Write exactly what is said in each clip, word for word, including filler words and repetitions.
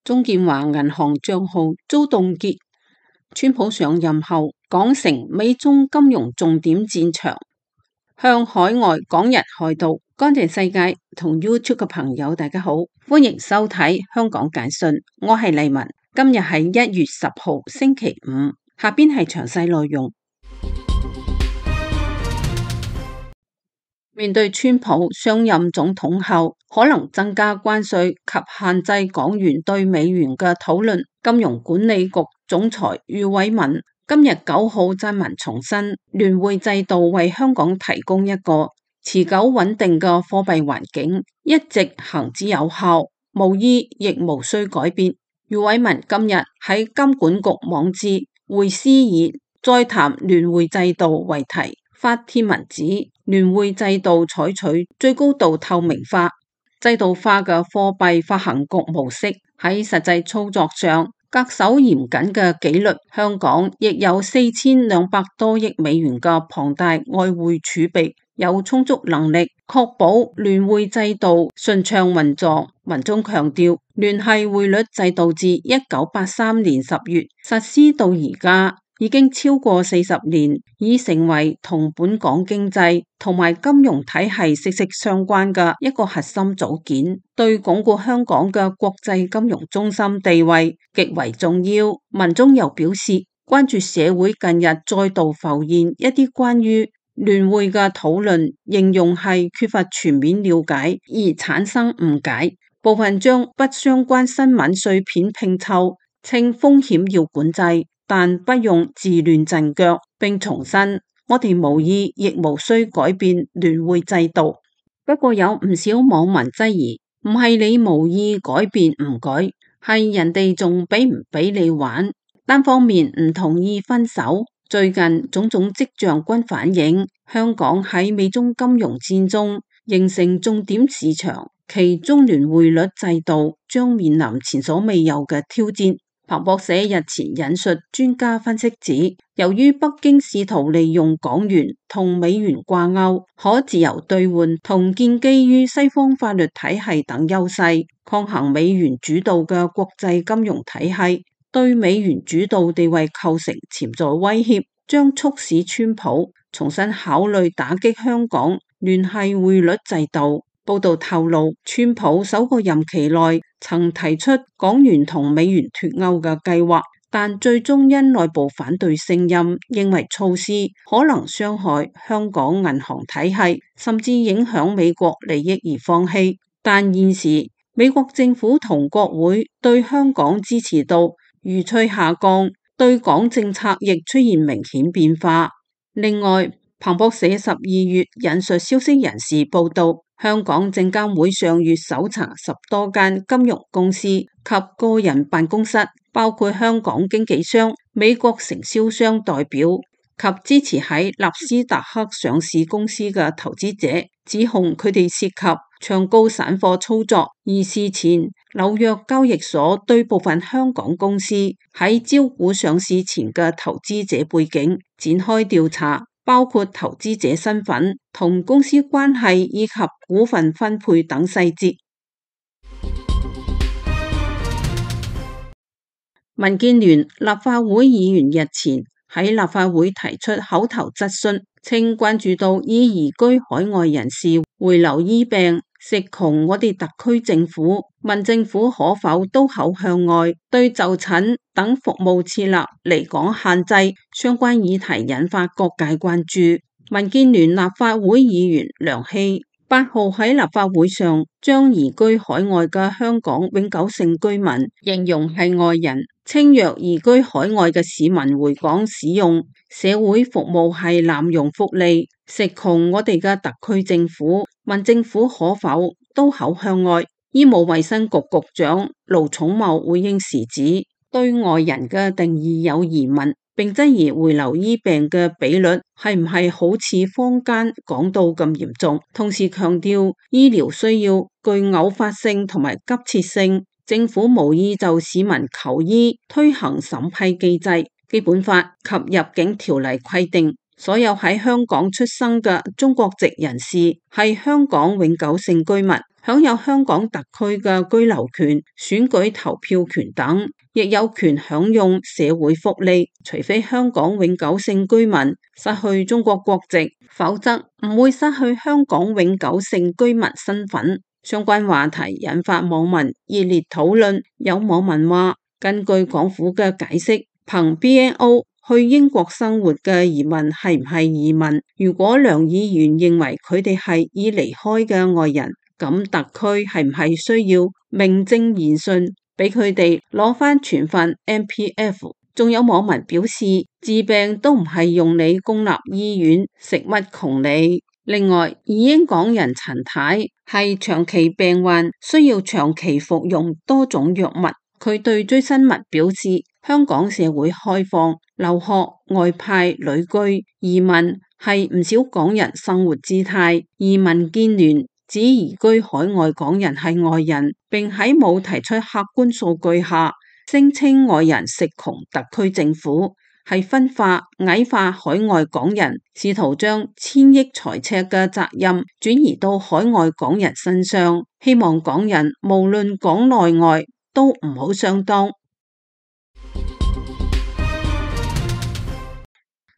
中建華銀行賬號遭凍結。川普上任後，港成美中金融重點戰場，向海外港人開刀。乾淨世界同 YouTube 嘅朋友，大家好，歡迎收睇香港簡訊，我係麗文。今日係一月十號星期五，下邊係詳細內容。面對川普上任總統後可能增加關稅及限制港元對美元嘅討論，金融管理局總裁余偉文今日九號撰文重申，聯匯制度為香港提供一個持久穩定嘅貨幣環境，一直行之有效，無意亦無需改變。余偉文今日喺金管局網誌匯思以再談聯匯制度為題發帖文指，聯匯制度採取最高度透明化、制度化嘅貨幣發行局模式，喺實際操作上恪守嚴謹嘅紀律。香港亦有四千兩百多億美元嘅龐大外匯儲備，有充足能力確保聯匯制度順暢運作。文中強調，聯繫匯率制度自一九八三年十月實施到而家，已經超過四十年，已成為同本港經濟同埋金融體系息息相關嘅一個核心組件，對鞏固香港嘅國際金融中心地位極為重要。文中又表示，關注社會近日再度浮現一啲關於聯匯嘅討論，形容係缺乏全面了解而產生誤解，部分將不相關新聞碎片拼湊，稱風險要管制，但不用自亂陣腳，並重申我哋無意亦無需改變聯匯制度。不過有唔少網民質疑，唔係你無意改變唔改，係人哋仲俾唔俾你玩，單方面唔同意分手。最近種種跡象均反映，香港喺美中金融戰中形成重點市場，其中聯匯率制度將面臨前所未有嘅挑戰。彭博社日前引述專家分析指，由於北京試圖利用港元同美元掛鈎、可自由兌換同建基於西方法律體系等優勢，抗衡美元主導嘅國際金融體系，對美元主導地位構成潛在威脅，將促使川普重新考慮打擊香港聯繫匯率制度。報道透露，川普首個任期內曾提出港元同美元脫鈎嘅計劃，但最終因內部反對聲音，認為措施可能傷害香港銀行體系，甚至影響美國利益而放棄。但現時美國政府同國會對香港支持度如趨下降，對港政策亦出現明顯變化。另外，彭博社十二月引述消息人士報道，香港證監會上月搜查十多間金融公司及個人辦公室，包括香港經紀商、美國承銷商代表及支持喺納斯達克上市公司嘅投資者，指控佢哋涉及唱高散貨操作。而事前紐約交易所對部分香港公司喺招股上市前嘅投資者背景展開調查，包括投資者身份、同公司關係以及股份分配等細節。民建聯立法會議員日前喺立法會提出口頭質詢，稱關注到已移居海外人士回流醫病、食窮，我哋特區政府問政府可否刀口向外，對就診等服務設立離港限制相關議題引發各界關注。民建聯立法會議員梁希八號喺立法會上將移居海外嘅香港永久性居民形容係外人，稱若移居海外嘅市民回港使用社會服務係濫用福利，食窮我哋嘅特區政府，問政府可否刀口向外。醫務衛生局局長盧寵茂回應時指，對外人嘅定義有疑問，並質疑回流醫病嘅比率係唔係好似坊間講到咁嚴重，同時強調醫療需要具偶發性同埋急切性，政府無意就市民求醫推行審批機制。基本法及入境條例規定，所有喺香港出生嘅中國籍人士係香港永久性居民，享有香港特區嘅居留權、選舉投票權等，亦有權享用社會福利。除非香港永久性居民失去中國國籍，否則唔會失去香港永久性居民身份。相關話題引發網民熱烈討論，有網民話，根據港府嘅解釋，憑 B N O 去英國生活嘅移民係唔係移民？如果梁議員認為佢哋係已離開嘅外人，咁特區係唔係需要名正言順俾佢哋攞翻全份 M P F？ 仲有網民表示，治病都唔係用你公立醫院，食乜窮你。另外，移英港人陳太係長期病患，需要長期服用多種藥物。佢對追新聞表示，香港社會開放、留學、外派、旅居、移民係唔少港人生活姿態。移民建聯指移居海外港人係外人，並喺冇提出客觀數據下，聲稱外人食窮特區政府，係分化、矮化海外港人，試圖將千億財赤嘅責任轉移到海外港人身上，希望港人無論港內外都唔好上當。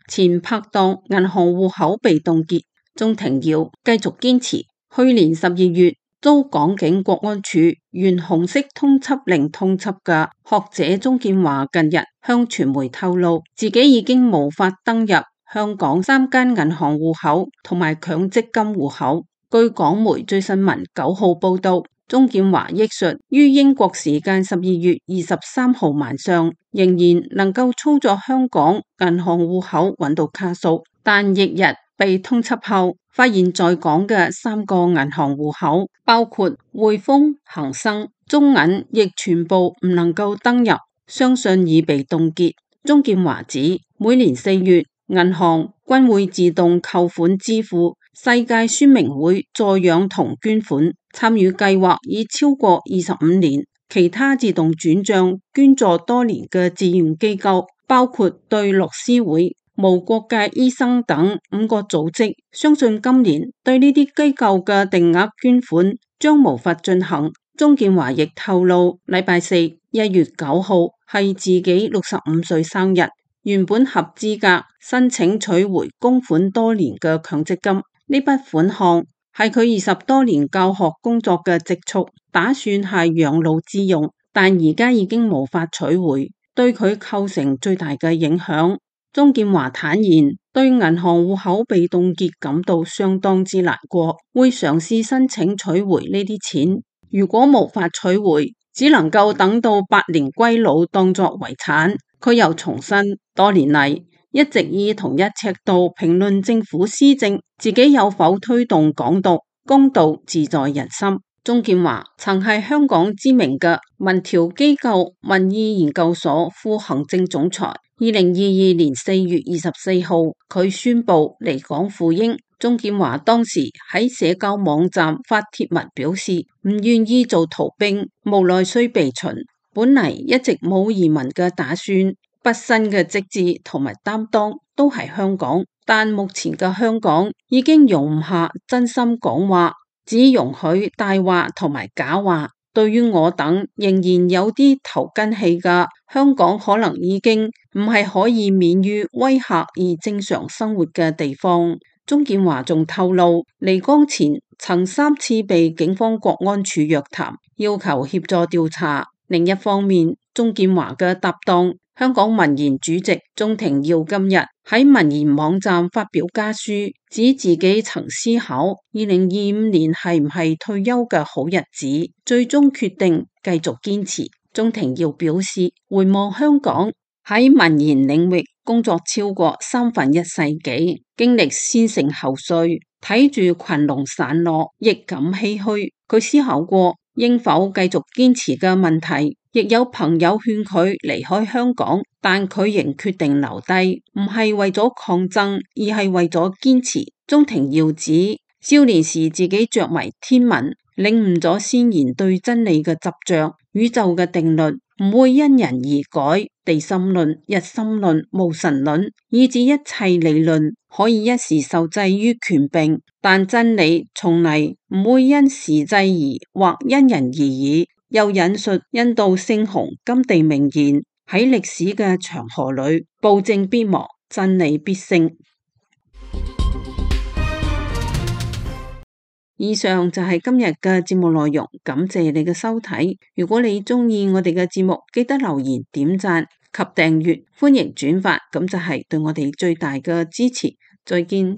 前拍檔銀行戶口被凍結，鍾庭耀繼續堅持。去年十二月遭港警國安處沿紅色通緝令通緝嘅學者鍾建華，近日向傳媒透露，自己已經無法登入香港三間銀行戶口同埋強積金戶口。據港媒最新聞九號報道，鍾建華憶述，於英國時間十二月二十三號晚上，仍然能夠操作香港銀行戶口揾到卡數，但翌日被通緝後，發現在港嘅三個銀行戶口，包括匯豐、恒生、中銀，亦全部唔能夠登入，相信已被凍結。鍾建華指，每年四月，銀行均會自動扣款支付世界宣明會助養同捐款，參與計劃已超過二十五年。其他自動轉賬捐助多年嘅志願機構，包括對律師會、無國界醫生等五個組織，相信今年對呢啲機構嘅定額捐款將無法進行。鍾建華亦透露，禮拜四一月九號係自己六十五歲生日，原本合資格申請取回供款多年嘅強積金，呢筆款項係佢二十多年教學工作嘅積蓄，打算係養老之用，但而家已經無法取回，對佢構成最大嘅影響。鍾建華坦言，對銀行戶口被凍結感到相當之難過，會嘗試申請取回呢啲錢。如果無法取回，只能夠等到百年歸老當作遺產。佢又重申，多年嚟一直以同一尺度評論政府施政，自己有否推動港獨，公道自在人心。鍾建華曾係香港知名嘅民調機構民意研究所副行政總裁。二零二二年四月二十四號，佢宣布離港赴英。鍾建華當時喺社交網站發帖文表示，唔願意做逃兵，無奈需被秦。本嚟一直冇移民嘅打算，畢生嘅職志同埋擔當都係香港，但目前嘅香港已經容唔下真心講話，只容許大話同埋假話。對於我等仍然有啲頭筋氣嘅，香港可能已經唔係可以免於威嚇而正常生活嘅地方。鍾建華仲透露，離港前曾三次被警方國安處約談，要求協助調查。另一方面，鍾建華嘅搭檔香港民研主席鍾庭耀今日喺民研網站發表家書，指自己曾思考二零二五年係唔係退休嘅好日子，最終決定繼續堅持。鍾庭耀表示，回望香港喺民研領域工作超過三分一世紀，經歷先盛後衰，睇住群龍散落，亦感唏噓。佢思考過應否繼續堅持嘅問題，亦有朋友勸佢離開香港，但佢仍決定留低，唔係為咗抗爭，而係為咗堅持。鍾庭耀指，少年時自己着迷天文，領悟咗先賢對真理嘅執着，宇宙嘅定律唔會因人而改，地心論、日心論、無神論，以至一切理論可以一時受制於權柄，但真理從嚟唔會因時制宜或因人而異。又引述印度聖雄甘地名言：喺歷史嘅長河裏，暴政必亡，真理必勝。以上就係今日嘅節目內容，感謝你嘅收睇。如果你鍾意我哋嘅節目，記得留言、點讚及訂閱，歡迎轉發，咁就係對我哋最大嘅支持。再見。